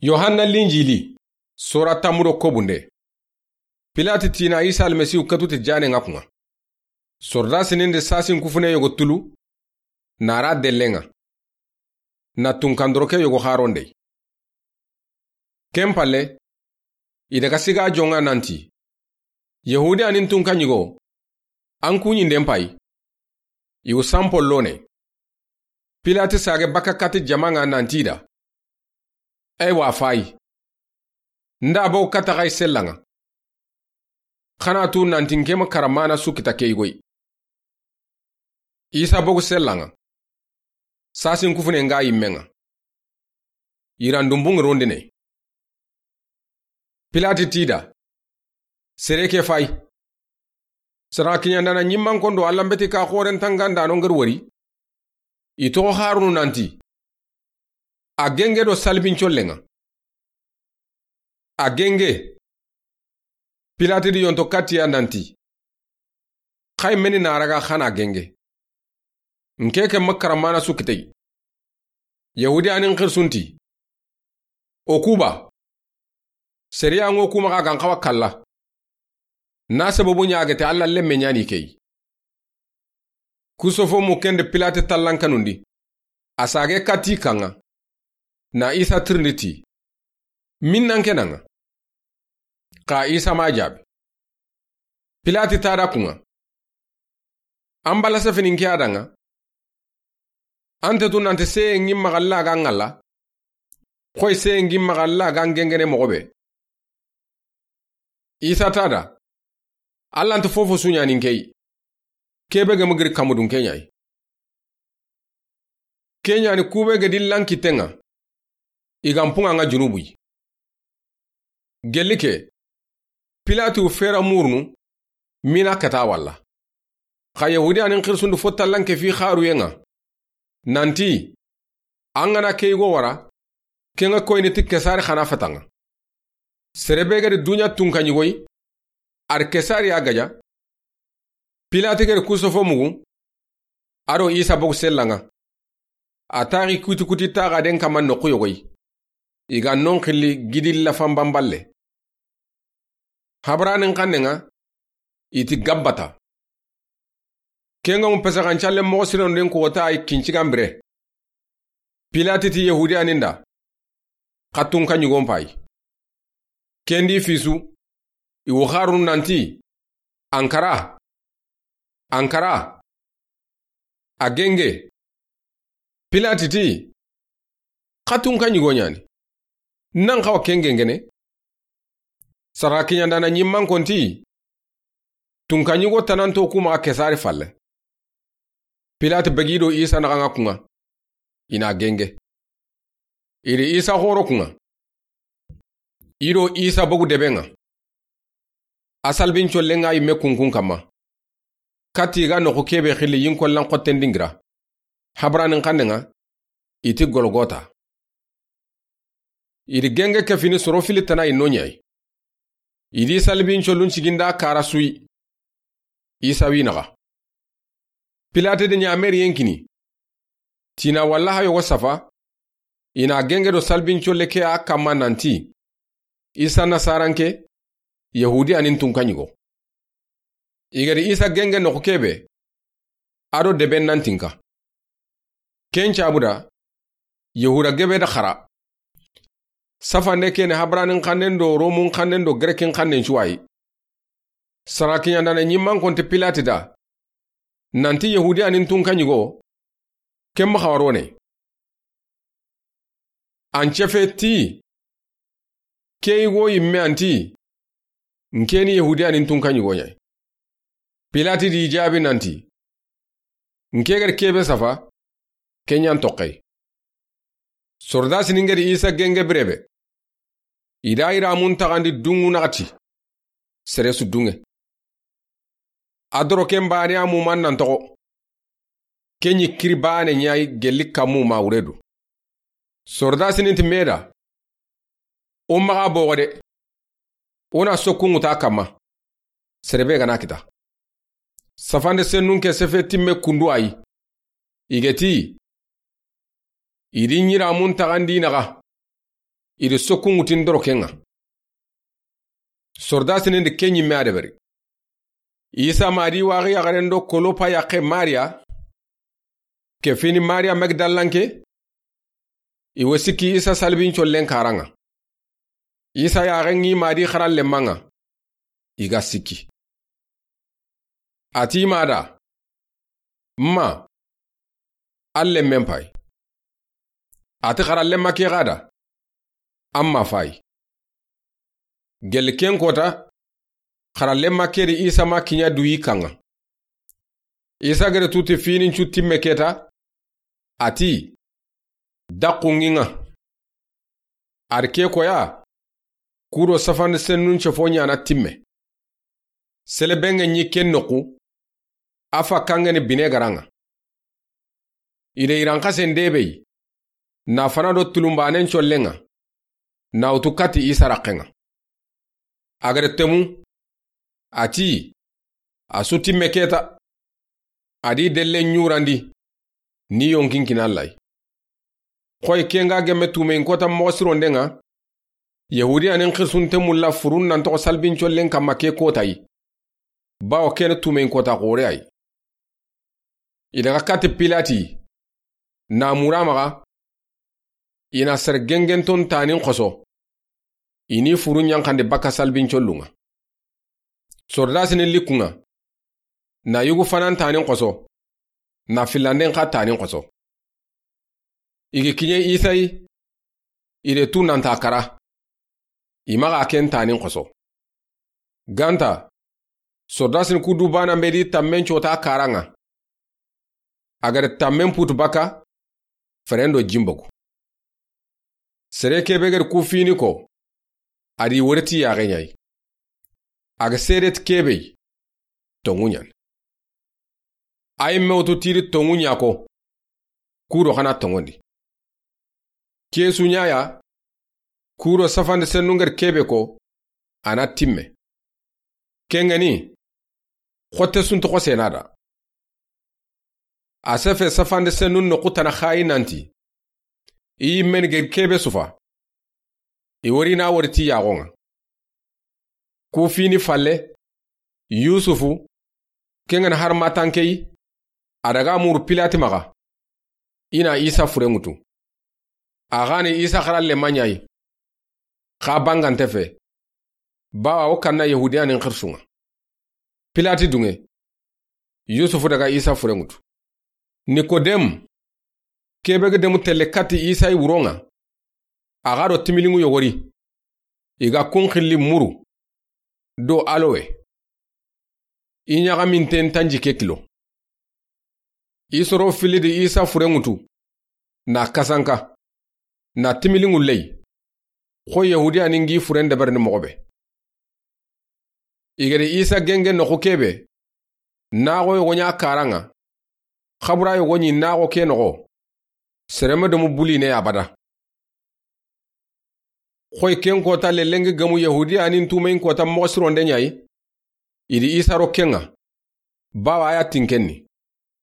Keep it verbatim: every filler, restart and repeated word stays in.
Yohanna Linjili, sora tanmu do kobunde. Pilati ti na Isa Almasihu katu ti jaanen ŋa kun ŋa. Sordasinin di sasin kufune yogo tulu, na ra dellen ŋa, na tunkandoroke yogo xaron de. Ken palle, i daga siga jon ŋa nanti, Yahudiyanin tunka ɲigo, an kuɲinden payi, i wu sanpollo ne. Pilati sage bakka kati jama ŋa nanti da, eywa fayi, nda bogu kata xayi sella ŋa, xa na tu nanti nke ma karamana su kita ke yigo yi. Isa bogu sella ŋa, sasin kufune ŋa yimme ŋa, yirandunbun ŋa rondine. Pilati ti da, sere ke fayi, sara kiɲandana ɲimmankon do Alla n beti ka xoren tangandano ŋa ri wori, i toxo xarunu nanti, a genge do salbin collen ŋa. A genge. Pilati di yonto katiya nanti, xayi meni na raga xa na genge? Nke ke ma karamana su kiteyi. Yahudiyanin xirsunti, o kuba, seriya ŋo kuma xa gan xawa kalla, na sababu ɲagete Alla lemme ɲani keyi. Kusofo mu kende Pilati tallankanundi, a sage kati kan ŋa, na Isa tirindi ti, min nan ke nan ŋa? Xa Isa ma jaabi. Pilati ta da kun ŋa, an bala sefini nke a da ŋa? An te tu nanti seye ŋi maxa Alla ga ŋalla, xoyi seye ŋi maxa Alla ga gengene moxo be? Isa ta da, Alla nta fofo su ɲani nke yi, kebe ge ma giri kamudun ke ɲa yi. Ke ɲani kube ge di lankitten ŋa, i ga n punŋa ŋa junubu yi. Gelli ke, Pilati wu fera murunu, mina kata walla. Xa Yahudiyanin xirsundu fo tallanke fi xaruyen ŋa, nanti, an ga na ke yigo wara, ken ŋa koyini ti Kesari xa na fata ŋa. Sere be ga di duɲa tunka ɲigo yi, a ri Kesari ya gaja. Pilati ga di kusofo mugu, a do Isa bogu sella ŋa, a taxi kuti kuti taxaden kama noxu yogo yi, i ga non xilli gidi lafan banballe. Habranin xannen ŋa, i ti Gabbata. Ken ŋa mu pesaxancalle moxo sirendin kota yi kincigan bire. Pilati ti Yahudiyanin da, xa tunka ɲigon payi. Ken di fisu, i wu xarunu nanti, Ankara, Ankara, a genge. Pilati ti, xa tunka ɲigo ɲani, nan xawa ken gengene? Sara kiɲandana ɲimmankon ti, tunka ɲigo tananto kuma Kesari falle. Pilati begi do Isa naxa ŋa kun ŋa, i na genge. I ri Isa xoro kun ŋa, i do Isa bogu deben ŋa. A salbin collen ŋa yimme kunkun kamma, kati i ga noxu kebe xilli yinkollan xotten dingira. Habranin xannen ŋa, i ti Golgota. I di genge ke fini soro fili tana i no ɲa yi. I di salbin collun ciginda kara su yi. Isa wi naxa. Pilati di ɲameriyen kini, tina walla xa yogo safa, i na genge do salbin colle ke a kamma nanti, Isa Nasaranke, Yahudiyanin tunka ɲigo. I ga di Isa genge noxu kebe, a do deben nan tinka. Ken cabu da, Yahuda gebe da xara. Safande kene Habranin xannen do Romun xannen do Grekin xannen cuwayi. Sara kiɲandana ɲimmankon ti Pilati da, nanti Yahudiyanin tunka ɲigo, ken ma xawa rone. An cefe ti, ke yigo yimme anti, nke ni Yahudiyanin tunka ɲigo ɲa yi. Pilati di jaabi nanti, nke ga di kebe safa, ken ɲa n toxey. Sordasinin ga di Isa genge bire be, i da yiramun taxandi dunŋu naxati, sere su dunŋe. A doroken baane a muman nan toxo. Ken ɲi kiri baane ɲa yi gelli kammu ma wure du. Sordasinin ti me da, o maxa boxo de, o na sokku ŋuta kamma, sere be ga na kita. Safande sennun ke sefe timme kundu a yi. I ga ti, i di ɲiramun taxandi naxa, I di sokku ŋutin doroken ŋa. Sordasinin di ke ɲimme a deberi. Isa ma di waxi yaxaren do Kolopa yaxe Mariya, ke fini Mariya Magdalanke, i wo sikki Isa salibincollen karan ŋa. Isa yaxen ŋi ma di xarallenman ŋa, i ga sikki. A ti ma da, "Ma, an lemmen pay." A ti xarallenma ke xa da, "An ma fay." Gelli ken kota, xarallenma ke di Isa ma kiɲa duyi kan ŋa. Isa gere tuti finincu timme keta, a ti, "Daxu ŋi ŋa." A di ke koya, ku do safandi sennun cefo ɲana timme. Sele be ŋa ɲi ken noxu, a fa kangeni bine garan ŋa. I de iran xasen debe yi, na fana do tulumbanen collen ŋa, na wutu kati Isa raxen ŋa. A gere temu, a ti, "A su timme keta." A di delle ɲurandi, ni yonkin kina Alla yi. Xoy ke ŋa gemme tumeyin kota moxo sironden ŋa, Yahudiyanin xirsunte mulla furun nan toxo salibincollen kamma ke kota yi. Bawo kene tumeyin kota xore ay. I daga kati Pilati, na mura maxa, i na sere gengenton tanin xoso, i ni furu ɲanxandi baka salibincollun ŋa. Sordasinin likkun ŋa, na yugu fanan tanin xoso, na filanden xa tanin xoso. I gi kiɲe Isa yi, i de tu nanta kara, i maxa ken tanin xoso. Ganta, sordasin ku du bana be di tammen cota karan ŋa. A gada tammen putu baka, feren do jimbogu. Sere kebe gada ku fini ko, a di wori ti yaxe ɲa yi. A ga sere ti kebe yi, tonŋu ɲan. Ay mewtu tiri tonŋu ɲa ko, ku do xana tonŋondi. Ke su ɲa ya, ku do safandi sennun gada kebe ko, a na timme. Ken ŋa ni, xotte suntu xosena da. A sefe safandi sennun noxu tana xayi nanti, i yimmen gada kebe sufa, i wori na wori ti yaxon ŋa. Ku fini falle, Yusufu, ken ŋa ni har matanke yi, a daga muru Pilati maxa, i na Isa furen ŋutu. A xa ni Isa xarallenma ɲa yi, xa bangante fe, bawa wo kanna Yahudiyanin xirsun ŋa. Pilati dunŋe, Yusufu daga Isa furen ŋutu. Nikodem, kebe ga demu telle kati Isa yi wuron ŋa, a xa do timilinŋu yogori, i ga kun xilli muru do alowe, i ɲaxaminten tanjikke kilo. I soro filli di Isa furen ŋutu, na kasanka, na timilinŋu ley, xo Yahudiyanin gi furen deberini moxo be. I gada Isa genge noxu kebe, naxo yogo ɲa karan ŋa, xabura yogo ɲi naxo ke noxo, sere ma domu buline abada. Xoy ken kota lellengi gemu Yahudiyanin tumeyin kota moxo sironde ɲa yi, i di Isa ro ken ŋa, bawa a ya tinkenni.